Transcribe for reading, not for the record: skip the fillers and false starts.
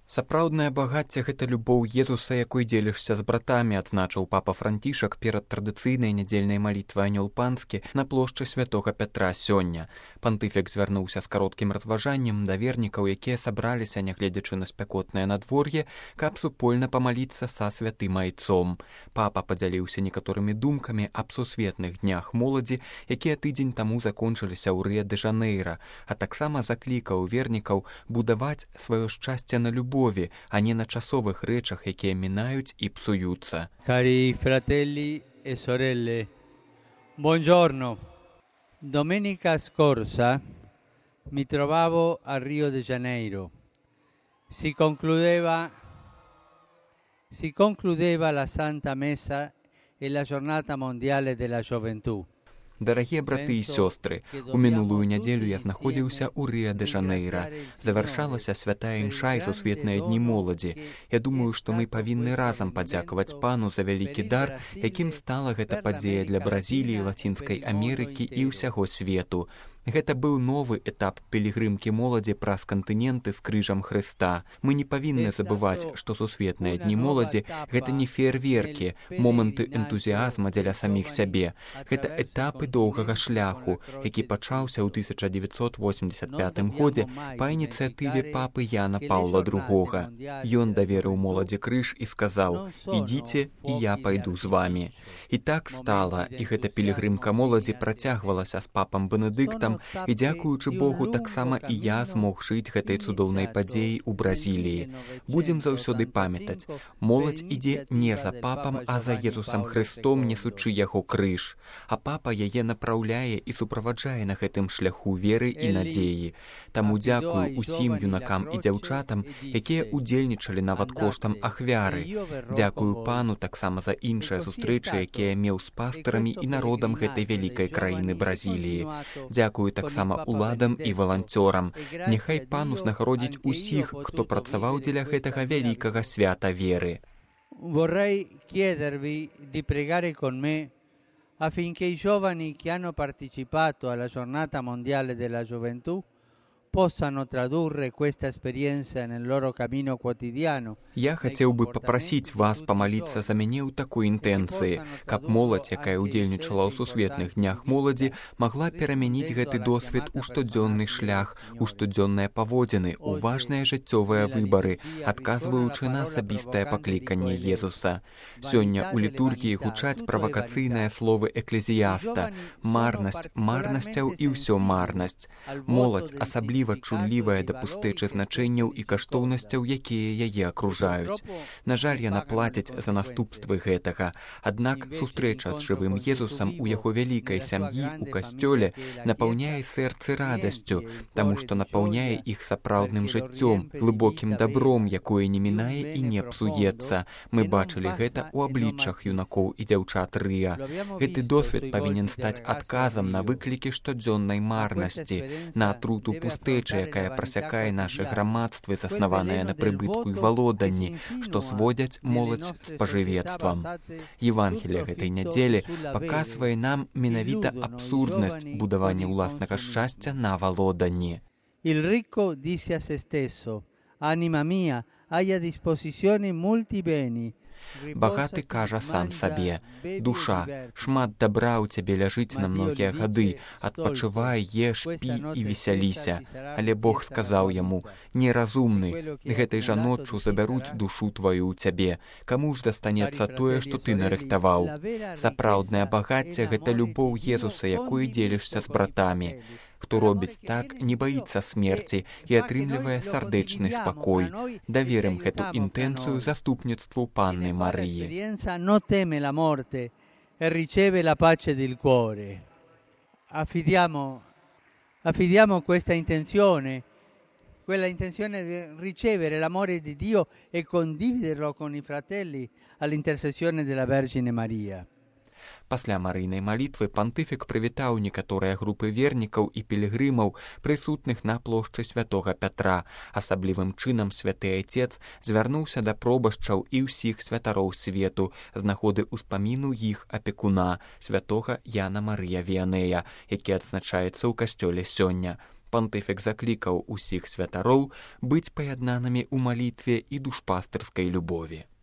Сапраўднае багацце — гэта любоў Езуса, якой дзелішся з братамі, адзначыў папа Францішак перад традыцыйнай нядзельнай малітвай Анёл Панскі на плошчы святога Пятра сёння. Пантыфік звярнуўся з кароткім разважаннем да вернікаў, якія сабраліся, нягледзячы на спякотнае надвор'е, каб супольна памаліцца са святым айцом. Папа падзяліўся некаторымі думкамі аб сусветных днях моладзі, якія тыдзень таму закончыліся ў Рыа-дэ-Жанэйра, а таксама заклікаў вернікаў будаваць сваё шчасце на любові, а не на часовых рэчах, якія мінаюць і псуюцца. Cari fratelli e sorelle, buongiorno. Domenica scorsa mi trovavo a Rio de Janeiro. Si concludeva la Santa Messa e la Giornata Mondiale della Gioventù. Дарагія браты і сёстры, у мінулую нядзелю я знаходзіўся ў Рыа-дэ-Жанэйра. Завяршалася святая імша і сусветныя дні моладзі. Я думаю, што мы павінны разам падзякаваць пану за вялікі дар, якім стала гэта падзея для Бразіліі, Лацінскай Амерыкі і ўсяго свету. Гэта быў новы этап пілігрымкі моладзі праз кантыненты з крыжам Хрыста. Мы не павінны забываць, што сусветныя дні моладзі — гэта не феерверкі, моманты энтузіазма дзеля саміх сябе. Гэта этапы доўгага шляху, які пачаўся ў 1985 годзе па ініцыятыве папы Яна Паўла II. Ён даверыў моладзі крыж і сказаў: «Ідзіце, і я пайду з вамі». І так стала, і гэта пілігрымка моладзі працягвалася з папам Бенедыктам, і дзякуючы Богу, таксама і я змог жыць гэтай цудоўнай падзеяй у Бразіліі. Будзем заўсёды памятаць, моладзь ідзе не за папам, а за Езусам Хрыстом, несучы яго крыж. А папа яе напраўляе і суправаджае на гэтым шляху веры і надзеі. Таму дзякую усім юнакам і дзяўчатам, якія ўдзельнічалі нават коштам ахвяры. Дзякую пану таксама за іншыя сустрэчы, якія меў з пастарамі і народам гэтай вялікай краіны Бразіліі. Дзякую таксама уладам і валанцёрам. Няхай пан узнагародзіць усіх, хто працаваў дзеля гэтага вялікага свята веры. Vorrei chiedervi di pregare con me affinché i giovani che hanno partecipato alla Giornata Mondiale della Gioventù possano tradurre questa esperienza nel loro cammino quotidiano. Я хацеў бы папрасіць вас памаліцца за мяне ў такой інтэнцыі, каб моладзь, якая ўдзельнічала ў сусветных днях моладзі, магла перамяніць гэты досвед у штодзённы шлях, у штодзённыя паводзіны, у важныя жыццёвыя выбары, адказваючы на асабістае пакліканне Езуса. Сёння ў літургіі гучаць правакацыйныя словы эклезіяста: марнасць марнасцяў і ўсё марнасць. Моладзь асабліва чуллівая да пустэчы значэнняў і каштоўнасцяў, якія яе акружаюць. На жаль, яна плаціць за наступствы гэтага. Аднак сустрэча з жывым Езусам у яго вялікай сям'і, у касцёле, напаўняе сэрцы радасцю, таму што напаўняе іх сапраўдным жыццём, глыбокім дабром, якое не мінае і не псуецца. Мы бачылі гэта ў абліччах юнакоў і дзяўчат Рыа. Гэты досвед павінен стаць адказам на выклікі штодзённай марнасці, на атруту пустэчы, якая прасякае нашы грамадствы, заснаваныя на прыбытку і валоданні, што зводзяць моладзь з пажывецтвам. Евангелие гэтай нядзелі паказвае нам менавіта абсурднасць будавання ўласнага шчасця на валоданні. Il ricco disse a se stesso: Anima mia, hai a disposizione molti beni. Багаты кажа сам сабе: «Душа, шмат дабра ў цябе ляжыць на многія гады, адпачывай, еш, пі і весяліся». Але Бог сказаў яму: «Неразумны, гэтай жа ноччу забяруць душу тваю ў цябе. Каму ж дастанецца тое, што ты нарыхтаваў?» Сапраўднае багацце — гэта любоў Езуса, якой дзелішся з братамі. Хто робіць так, не баіцца смерці і атрымлівае сардэчны спакой. Даверым гэту інтэнцыю заступніцтву панны Марыі. Non teme la morte e riceve la pace del cuore. Affidiamo questa intenzione, quella intenzione di ricevere l'amore di Dio e condividerlo con i fratelli all'intercessione della Vergine Maria. Пасля марыйнай малітвы пантыфік прывітаў некаторыя групы вернікаў і пілігрымаў, прысутных на плошчы святога Пятра. Асаблівым чынам святы айцец звярнуўся да пробашчаў і ўсіх святароў свету з нагоды ўспаміну іх апекуна, святога Яна Марыя Віянея, які адзначаецца ў касцёле сёння. Пантыфік заклікаў усіх святароў быць паяднанымі ў малітве і душпастырскай любові.